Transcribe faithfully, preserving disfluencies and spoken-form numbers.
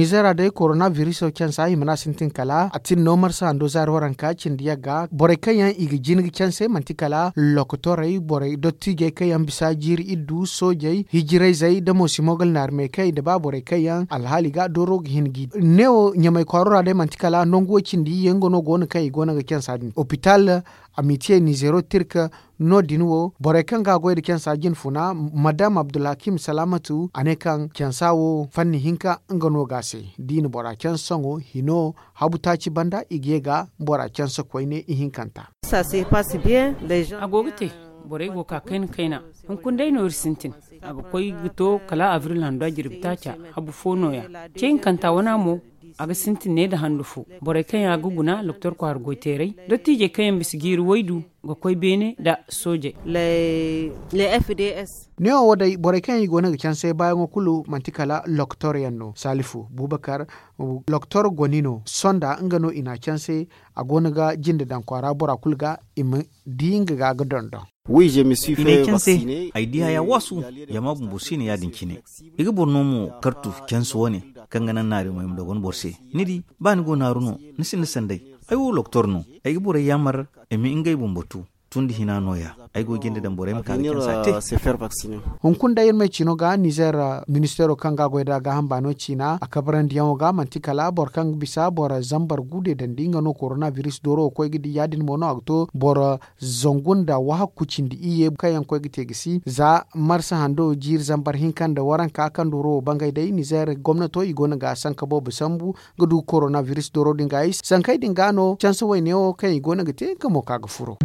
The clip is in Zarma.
Ize ra day korona biriso cansa hima no a sintin kala a tin no marsa hando zaari waranka cindi yagga borey kaŋ yaŋ i ga jin ga canse manti kala lokotorey borey dottiijey kaŋ yaŋ bisa jiiri iddu soojey hijirayzey nda mo simogal naari meekey nda ba borey kaŋ yaŋ alhaali ga dooro ga hin ga i ne wo ɲamay kwaaro ra day manti kala nangu wo cindi iyye nga no go no kaŋ i go no ga cansa din opital amitiye nizeero tirka no- din wo borey kaŋ ga a goy nda cansa jinfuna madam abdulhakim salaamatu a ne kaŋ cansa wo fanni hinka nga no ga a se da i na bora canse sohõ hino habu taaci banda i ga ye ga bora canse koyne ihinkanta. A go ga te. Borey go ga ka kayna kayna hunkuna day no iri sintin. A ga koy ga to kala abril hando a jirbi taaca habu fo nooya. Ce hinkanta wana mo a ga sintin ne nda handu fo. Borey kaŋ yaŋ a ga guna doktor kwaara goyteeray dottiijey kaŋ yaŋ bisa jiiri waydu ga koy beene nda soojey. Neewo wo day borey kaŋ yaŋ i go no ga canse baayaŋo kulu manti kala lokotor yaŋ no saalifu bubakar lokotor goni no sonda nga no i n'a canse. A go no ga jinde daŋ kwaara bora kulu ga i ma di nga ga ga dondon. I n'ay canse. Ay di haya waasu. Jama bumbo si no ya- din cine. I ga boro no mo kartu canse wane kaŋ ga naŋ naari mo ay ma dogon boro se. Ni di ba ni go naaru no ni sinda sanday. Ay wo doktor no. Ay ga borey yaamar i ma ngey bumbo tu. Tun da hina nooya ay go ga jinde daŋ borey ma ka ga cansa te. Hunkuna day iri ma ay ciino ga nizeer ministeero kaŋ ga a goy nd'a gaaham baano ciina a kabrandi yaŋo ga manti kala boro kaŋ ga bisa boro zambar guude dandi nga no korona biris dooro ga koy ga di ya- din mo no a ga to boro zangu nda wahakku cindi iyye kaŋ yaŋ ga koy ga te ga si za marsa hando jiiri zambar hinka nda waranka kaŋ dooro wo bangay day nizeer gomnato i go no ga sanka boobo sambu ga du korona biris dooro din ga ay sankey din ga no canse wayne wo kaŋ i go no ga te nga mo ka ga furo.